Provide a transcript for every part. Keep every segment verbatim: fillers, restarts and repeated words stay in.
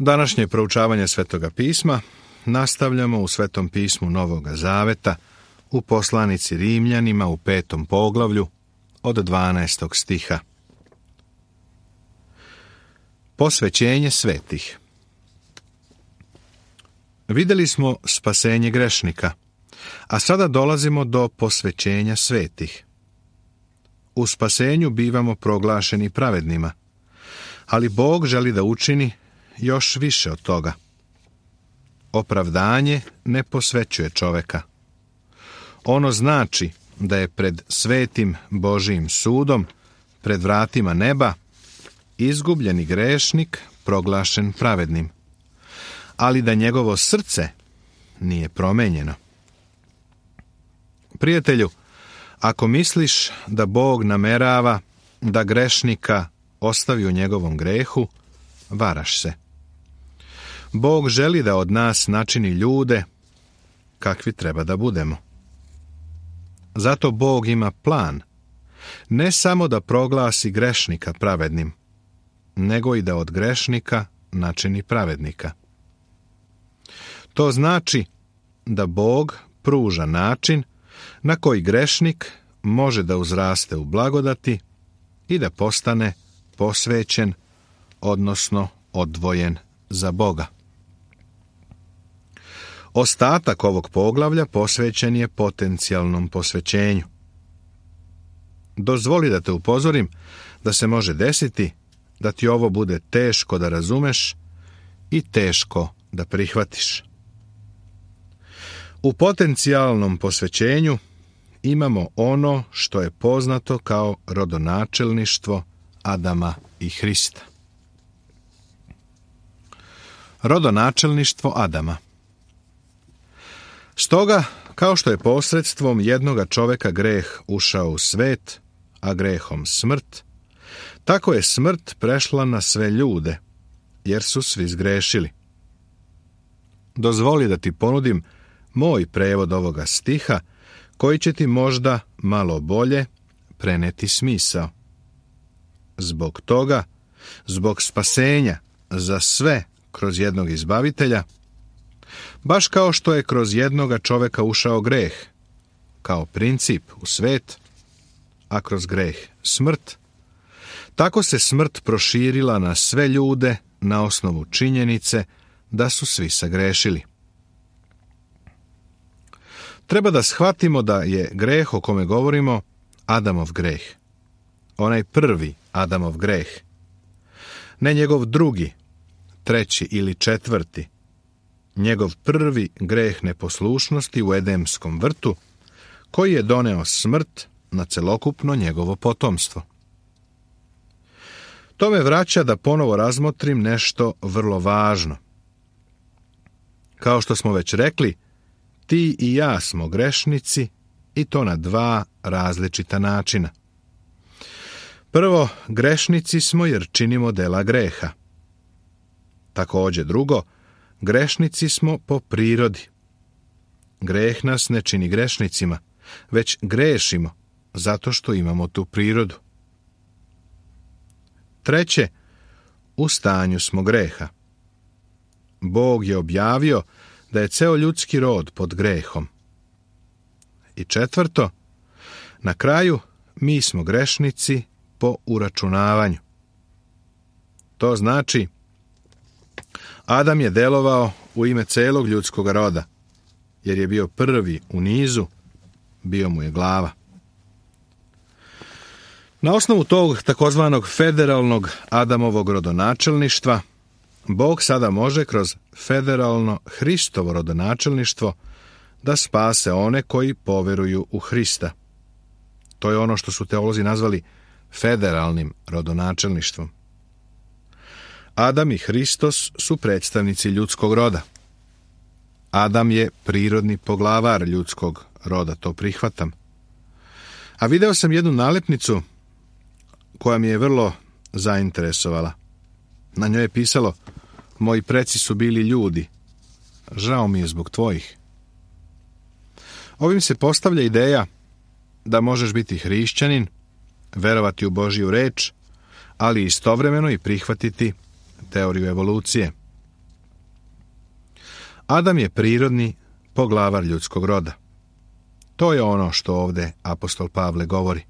Današnje proučavanje Svetoga pisma nastavljamo u Svetom pismu Novoga Zaveta u poslanici Rimljanima u petom poglavlju od dvanaestog stiha. Posvećenje svetih. Vidjeli smo spasenje grešnika, a sada dolazimo do posvećenja svetih. U spasenju bivamo proglašeni pravednima, ali Bog želi da učini još više od toga. Opravdanje ne posvećuje čoveka. Ono znači da je pred svetim Božijim sudom, pred vratima neba, izgubljeni grešnik proglašen pravednim, ali da njegovo srce nije promenjeno. Prijatelju, ako misliš da Bog namerava da grešnika ostavi u njegovom grehu, varaš se. Bog želi da od nas načini ljude kakvi treba da budemo. Zato Bog ima plan, ne samo da proglasi grešnika pravednim, nego i da od grešnika načini pravednika. To znači da Bog pruža način na koji grešnik može da uzraste u blagodati i da postane posvećen, odnosno odvojen za Boga. Ostatak ovog poglavlja posvećen je potencijalnom posvećenju. Dozvoli da te upozorim da se može desiti da ti ovo bude teško da razumeš i teško da prihvatiš. U potencijalnom posvećenju imamo ono što je poznato kao rodonačelništvo Adama i Hrista. Rodonačelništvo Adama. Stoga, kao što je posredstvom jednoga čoveka greh ušao u svet, a grehom smrt, tako je smrt prešla na sve ljude, jer su svi zgrešili. Dozvoli da ti ponudim moj prevod ovoga stiha, koji će ti možda malo bolje preneti smisao. Zbog toga, zbog spasenja za sve kroz jednog izbavitelja, baš kao što je kroz jednoga čoveka ušao greh, kao princip u svet, a kroz greh smrt, tako se smrt proširila na sve ljude na osnovu činjenice da su svi sagrešili. Treba da shvatimo da je greh o kome govorimo Adamov greh. Onaj prvi Adamov greh. Ne njegov drugi, treći ili četvrti. Njegov prvi greh neposlušnosti u Edemskom vrtu, koji je doneo smrt na celokupno njegovo potomstvo. To me vraća da ponovo razmotrim nešto vrlo važno. Kao što smo već rekli, ti i ja smo grešnici i to na dva različita načina. Prvo, grešnici smo jer činimo dela greha. Također drugo, grešnici smo po prirodi. Greh nas ne čini grešnicima, već grešimo zato što imamo tu prirodu. Treće, u stanju smo greha. Bog je objavio da je ceo ljudski rod pod grehom. I četvrto, na kraju mi smo grešnici po uračunavanju. To znači, Adam je delovao u ime celog ljudskog roda, jer je bio prvi u nizu, bio mu je glava. Na osnovu tog takozvanog federalnog Adamovog rodonačelništva, Bog sada može kroz federalno Hristovo rodonačelništvo da spase one koji poveruju u Hrista. To je ono što su teolozi nazvali federalnim rodonačelništvom. Adam i Hristos su predstavnici ljudskog roda. Adam je prirodni poglavar ljudskog roda, to prihvatam. A video sam jednu nalepnicu koja mi je vrlo zainteresovala. Na njoj je pisalo: moji preci su bili ljudi, žao mi je zbog tvojih. Ovim se postavlja ideja da možeš biti hrišćanin, verovati u Božju reč, ali istovremeno i prihvatiti teoriju evolucije. Adam je prirodni poglavar ljudskog roda. To je ono što ovdje apostol Pavle govori.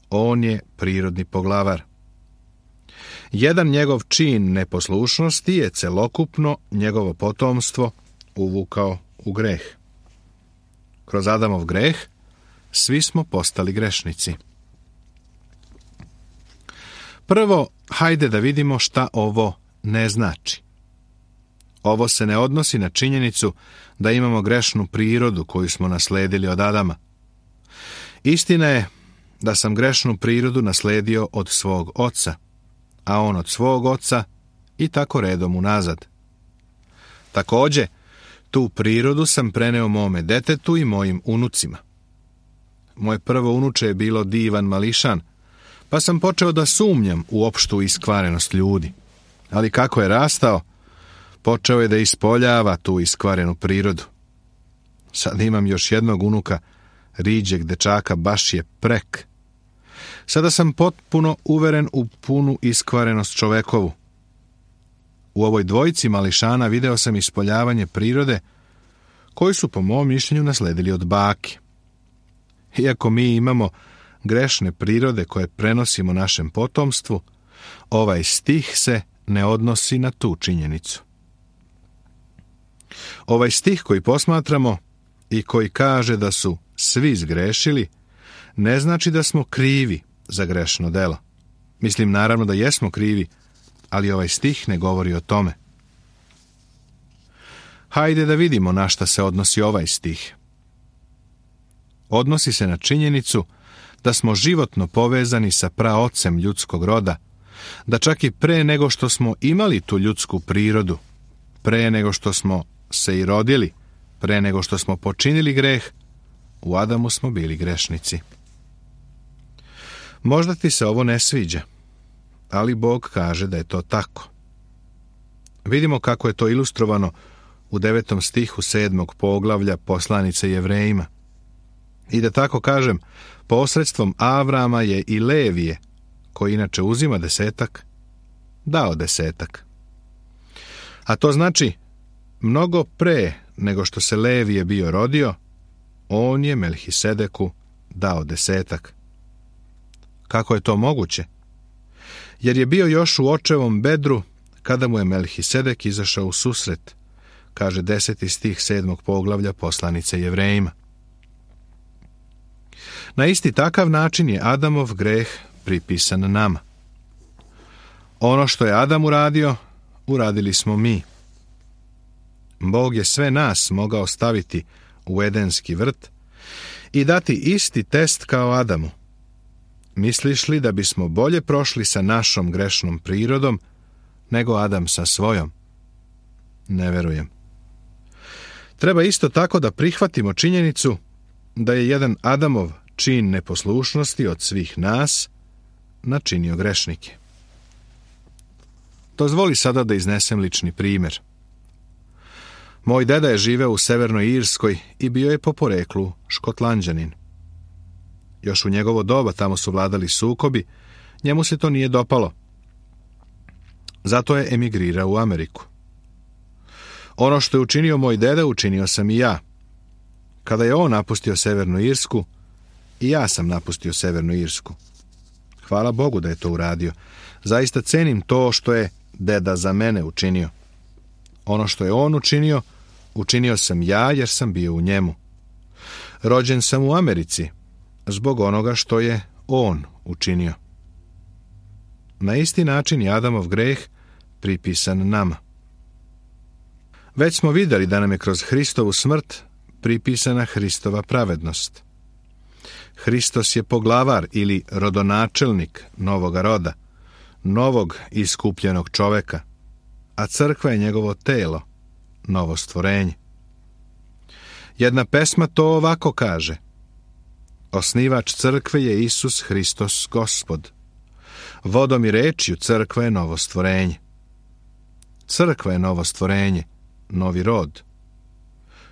On je prirodni poglavar. Jedan njegov čin neposlušnosti je celokupno njegovo potomstvo uvukao u greh. Kroz Adamov greh svi smo postali grešnici. Prvo, hajde da vidimo šta ovo ne znači. Ovo se ne odnosi na činjenicu da imamo grešnu prirodu koju smo nasledili od Adama. Istina je da sam grešnu prirodu nasledio od svog oca, a on od svog oca i tako redom unazad. Također, tu prirodu sam preneo mome detetu i mojim unucima. Moje prvo unuče je bilo divan mališan, pa sam počeo da sumnjam u opštu iskvarenost ljudi. Ali kako je rastao, počeo je da ispoljava tu iskvarenu prirodu. Sad imam još jednog unuka, riđeg dečaka, baš je prek. Sada sam potpuno uveren u punu iskvarenost čovekovu. U ovoj dvojici mališana video sam ispoljavanje prirode koju su po mom mišljenju nasledili od bake. Iako mi imamo grešne prirode koje prenosimo našem potomstvu, ovaj stih se ne odnosi na tu činjenicu. Ovaj stih koji posmatramo i koji kaže da su svi zgrešili, ne znači da smo krivi za grešno delo. Mislim naravno da jesmo krivi, ali ovaj stih ne govori o tome. Hajde da vidimo na šta se odnosi ovaj stih. Odnosi se na činjenicu da smo životno povezani sa praocem ljudskog roda, da čak i pre nego što smo imali tu ljudsku prirodu, pre nego što smo se i rodili, pre nego što smo počinili greh, u Adamu smo bili grešnici. Možda ti se ovo ne sviđa, ali Bog kaže da je to tako. Vidimo kako je to ilustrovano u devetom stihu sedmog poglavlja poslanice Jevrejima. I da tako kažem, posredstvom Avrama je i Levije, koji inače uzima desetak, dao desetak. A to znači, mnogo pre nego što se Levije bio rodio, on je Melhisedeku dao desetak. Kako je to moguće? Jer je bio još u očevom bedru kada mu je Melhisedek izašao u susret, kaže deseti stih sedmog poglavlja poslanice Jevrejima. Na isti takav način je Adamov greh pripisan nama. Ono što je Adam uradio, uradili smo mi. Bog je sve nas mogao staviti u edenski vrt i dati isti test kao Adamu. Misliš li da bismo bolje prošli sa našom grešnom prirodom nego Adam sa svojom? Ne verujem. Treba isto tako da prihvatimo činjenicu da je jedan Adamov čin neposlušnosti od svih nas načinio grešnike. Dozvoli sada da iznesem lični primjer. Moj deda je živeo u Severnoj Irskoj i bio je po poreklu Škotlanđanin. Još u njegovo doba tamo su vladali sukobi, njemu se to nije dopalo. Zato je emigrirao u Ameriku. Ono što je učinio moj deda, učinio sam i ja. Kada je on napustio Severnu Irsku, i ja sam napustio Severnu Irsku. Hvala Bogu da je to uradio. Zaista cenim to što je deda za mene učinio. Ono što je on učinio, učinio sam ja jer sam bio u njemu. Rođen sam u Americi zbog onoga što je on učinio. Na isti način je Adamov greh pripisan nama. Već smo vidjeli da nam je kroz Hristovu smrt pripisana Hristova pravednost. Hristos je poglavar ili rodonačelnik novoga roda, novog iskupljenog čoveka, a crkva je njegovo telo, novo stvorenje. Jedna pesma to ovako kaže: osnivač crkve je Isus Hristos Gospod. Vodom i rečju crkva je novo stvorenje. Crkva je novo stvorenje, novi rod.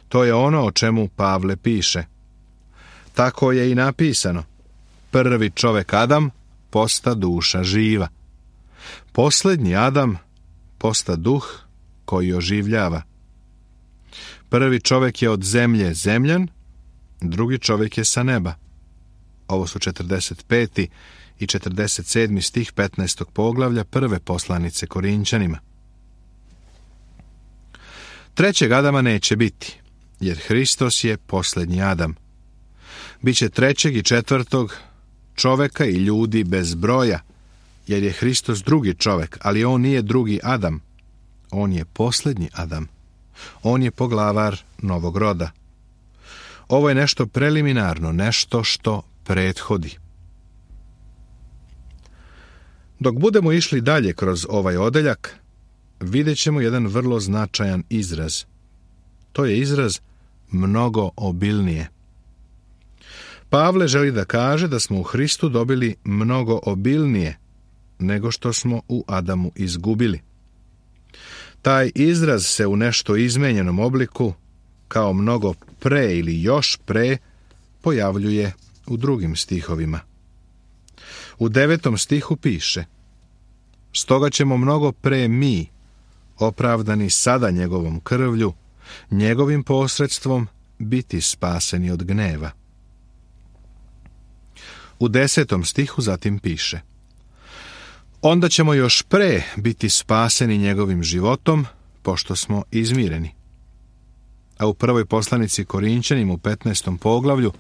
To je ono o čemu Pavle piše. Tako je i napisano. Prvi čovek Adam posta duša živa. Posljednji Adam posta duh koji oživljava. Prvi čovjek je od zemlje zemljan, drugi čovjek je sa neba. Ovo su četrdeset peti i četrdeset sedmi stih petnaestog poglavlja prve poslanice Korinćanima. Trećeg Adama neće biti, jer Hristos je posljednji Adam. Biće trećeg i četvrtog čovjeka i ljudi bez broja, jer je Hristos drugi čovjek, ali on nije drugi Adam. On je posljednji Adam. On je poglavar novog roda. Ovo je nešto preliminarno, nešto što prethodi. Dok budemo išli dalje kroz ovaj odeljak, vidjet ćemo jedan vrlo značajan izraz. To je izraz mnogo obilnije. Pavle želi da kaže da smo u Hristu dobili mnogo obilnije nego što smo u Adamu izgubili. Taj izraz se u nešto izmenjenom obliku, kao mnogo pre ili još pre, pojavljuje u drugim stihovima. U devetom stihu piše: stoga ćemo mnogo pre mi, opravdani sada njegovom krvlju, njegovim posredstvom biti spaseni od gneva. U desetom stihu zatim piše: onda ćemo još pre biti spaseni njegovim životom, pošto smo izmireni. A u prvoj poslanici Korinćanima u petnaestom poglavlju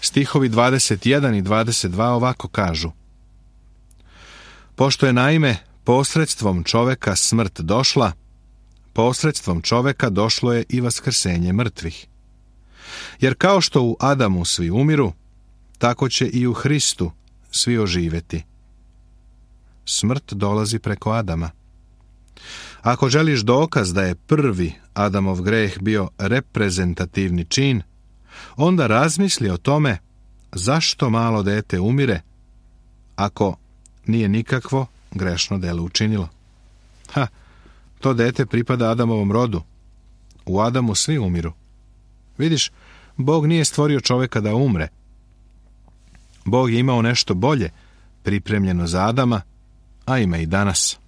stihovi dvadeset jedan i dvadeset dva ovako kažu: pošto je naime posredstvom čoveka smrt došla, posredstvom čoveka došlo je i vaskrsenje mrtvih. Jer kao što u Adamu svi umiru, tako će i u Hristu svi oživjeti. Smrt dolazi preko Adama. Ako želiš dokaz da je prvi Adamov greh bio reprezentativni čin, onda razmisli o tome zašto malo dete umire ako nije nikakvo grešno delo učinilo. Ha, to dete pripada Adamovom rodu. U Adamu svi umiru. Vidiš, Bog nije stvorio čovjeka da umre. Bog je imao nešto bolje pripremljeno za Adama, a ima i danas.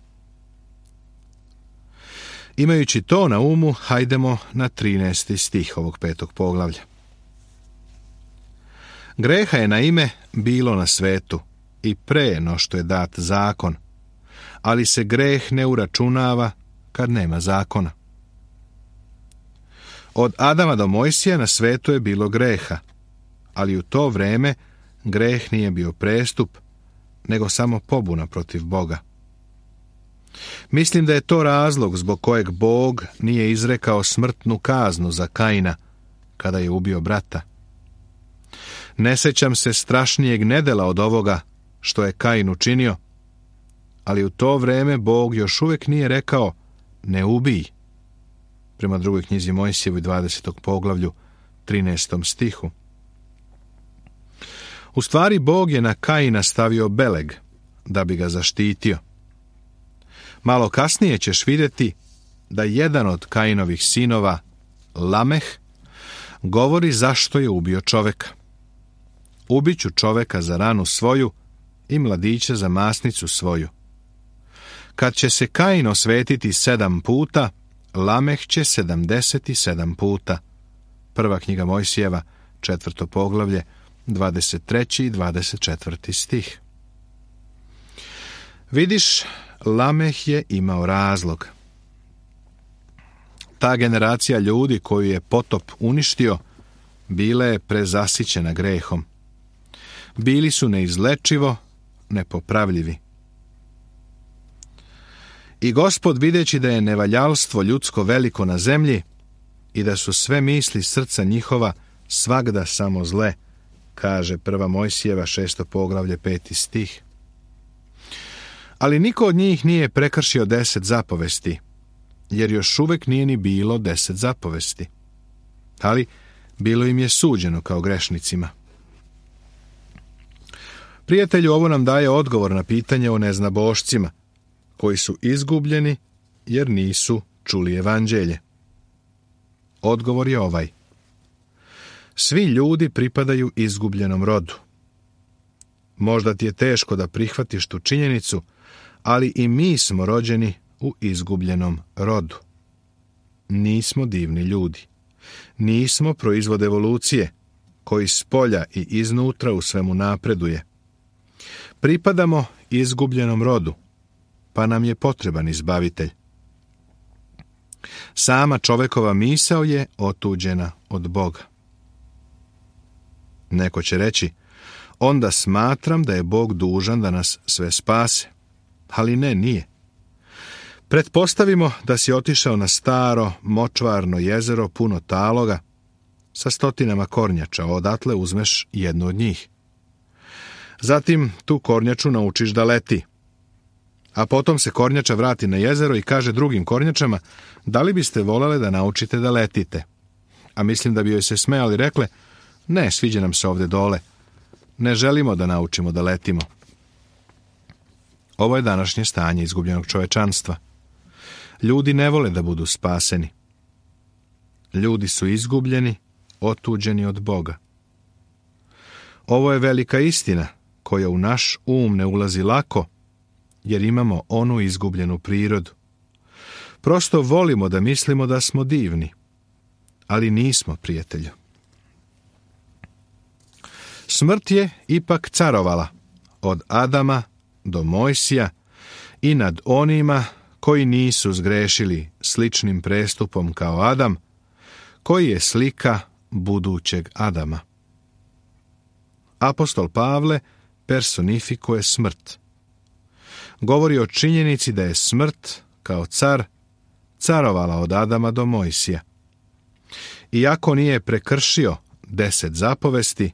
Imajući to na umu, hajdemo na trinaesti stih ovog petog poglavlja. Greha je naime bilo na svetu i pre no što je dat zakon, ali se greh ne uračunava kad nema zakona. Od Adama do Mojsija na svetu je bilo greha, ali u to vreme greh nije bio prestup, nego samo pobuna protiv Boga. Mislim da je to razlog zbog kojeg Bog nije izrekao smrtnu kaznu za Kaina kada je ubio brata. Ne sjećam se strašnijeg nedela od ovoga što je Kain učinio, ali u to vrijeme Bog još uvijek nije rekao ne ubij, prema drugoj knjizi Mojsijevoj dvadesetom poglavlju trinaestom stihu. U stvari Bog je na Kaina stavio beleg da bi ga zaštitio. Malo kasnije ćeš vidjeti da jedan od Kainovih sinova, Lameh, govori zašto je ubio čoveka. Ubiću čoveka za ranu svoju i mladića za masnicu svoju. Kad će se Kain osvetiti sedam puta, Lameh će sedamdeset sedam puta. Prva knjiga Mojsijeva, četvrto poglavlje, dvadeset treći i dvadeset četvrti stih. Vidiš, Lameh je imao razlog. Ta generacija ljudi koju je potop uništio, bila je prezasićena grehom. Bili su neizlečivo nepopravljivi. I Gospod, videći da je nevaljalstvo ljudsko veliko na zemlji i da su sve misli srca njihova svagda samo zle, kaže prva Mojsijeva šesto poglavlje peti stih. Ali niko od njih nije prekršio deset zapovesti, jer još uvijek nije ni bilo deset zapovesti. Ali bilo im je suđeno kao grešnicima. Prijatelju, ovo nam daje odgovor na pitanje o neznabošcima, koji su izgubljeni jer nisu čuli evanđelje. Odgovor je ovaj. Svi ljudi pripadaju izgubljenom rodu. Možda ti je teško da prihvatiš tu činjenicu, ali i mi smo rođeni u izgubljenom rodu. Nismo divni ljudi. Nismo proizvod evolucije, koji s polja i iznutra u svemu napreduje. Pripadamo izgubljenom rodu, pa nam je potreban izbavitelj. Sama čovekova misao je otuđena od Boga. Neko će reći, onda smatram da je Bog dužan da nas sve spase. Ali ne, nije. Pretpostavimo da si otišao na staro, močvarno jezero puno taloga sa stotinama kornjača, odatle uzmeš jednu od njih. Zatim tu kornjaču naučiš da leti. A potom se kornjača vrati na jezero i kaže drugim kornjačama, da li biste volele da naučite da letite? A mislim da bi joj se smejali rekle, ne, sviđa nam se ovde dole. Ne želimo da naučimo da letimo. Ovo je današnje stanje izgubljenog čovečanstva. Ljudi ne vole da budu spaseni. Ljudi su izgubljeni, otuđeni od Boga. Ovo je velika istina koja u naš um ne ulazi lako, jer imamo onu izgubljenu prirodu. Prosto volimo da mislimo da smo divni, ali nismo, prijatelju. Smrt je ipak carovala od Adama do Mojsija i nad onima koji nisu zgrešili sličnim prestupom kao Adam, koji je slika budućeg Adama. Apostol Pavle personifikuje smrt. Govori o činjenici da je smrt, kao car, carovala od Adama do Mojsija. Iako nije prekršio deset zapovesti,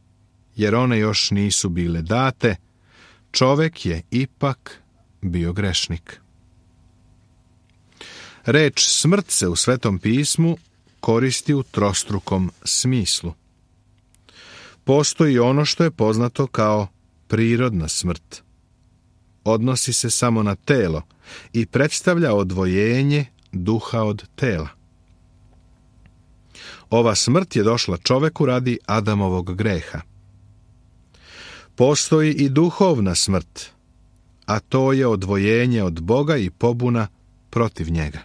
jer one još nisu bile date, čovek je ipak bio grešnik. Reč smrt se u Svetom pismu koristi u trostrukom smislu. Postoji ono što je poznato kao prirodna smrt. Odnosi se samo na telo i predstavlja odvojenje duha od tela. Ova smrt je došla čoveku radi Adamovog greha. Postoji i duhovna smrt, a to je odvojenje od Boga i pobuna protiv njega.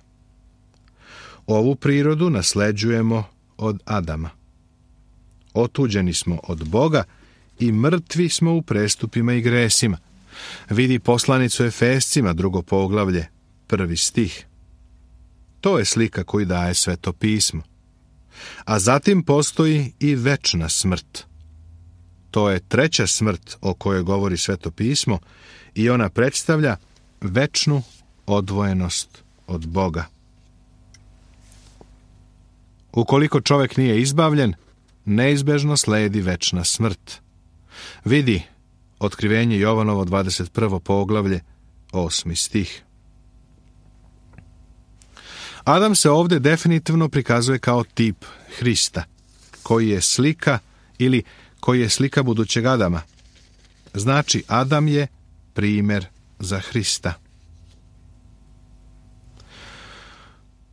Ovu prirodu nasleđujemo od Adama. Otuđeni smo od Boga i mrtvi smo u prestupima i gresima. Vidi poslanicu Efescima, drugo poglavlje, prvi stih. To je slika koju daje Sveto pismo. A zatim postoji i večna smrt. To je treća smrt o kojoj govori Sveto pismo i ona predstavlja večnu odvojenost od Boga. Ukoliko čovjek nije izbavljen, neizbežno sledi večna smrt. Vidi Otkrivenje Jovanovo dvadeset prvo poglavlje, osmi stih. Adam se ovdje definitivno prikazuje kao tip Hrista, koji je slika ili koji je slika budućeg Adama. Znači, Adam je primjer za Hrista.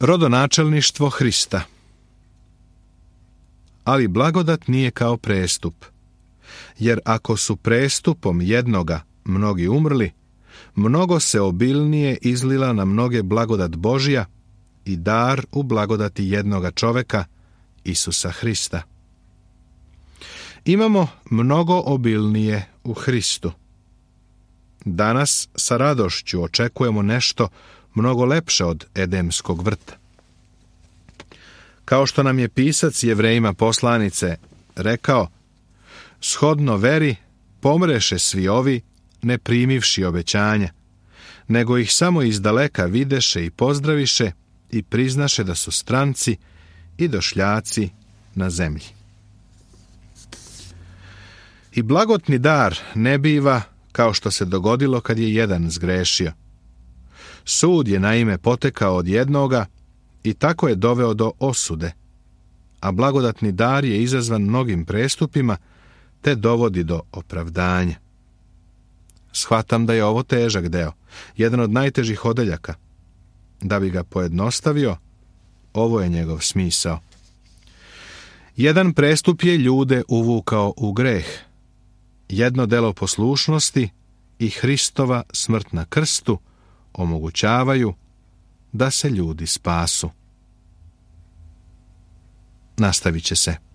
Rodonačelništvo Hrista. Ali blagodat nije kao prestup, jer ako su prestupom jednoga mnogi umrli, mnogo se obilnije izlila na mnoge blagodat Božja i dar u blagodati jednoga čoveka, Isusa Hrista. Imamo mnogo obilnije u Hristu. Danas sa radošću očekujemo nešto mnogo lepše od Edemskog vrta. Kao što nam je pisac Jevrejima poslanice rekao, shodno veri pomreše svi ovi, ne primivši obećanja, nego ih samo izdaleka videše i pozdraviše i priznaše da su stranci i došljaci na zemlji. I blagotni dar ne biva kao što se dogodilo kad je jedan zgrešio. Sud je naime potekao od jednoga i tako je doveo do osude, a blagodatni dar je izazvan mnogim prestupima te dovodi do opravdanja. Shvatam da je ovo težak deo, jedan od najtežih odeljaka. Da bi ga pojednostavio, ovo je njegov smisao. Jedan prestup je ljude uvukao u greh, jedno delo poslušnosti i Hristova smrt na krstu omogućavaju da se ljudi spasu. nastavit će se.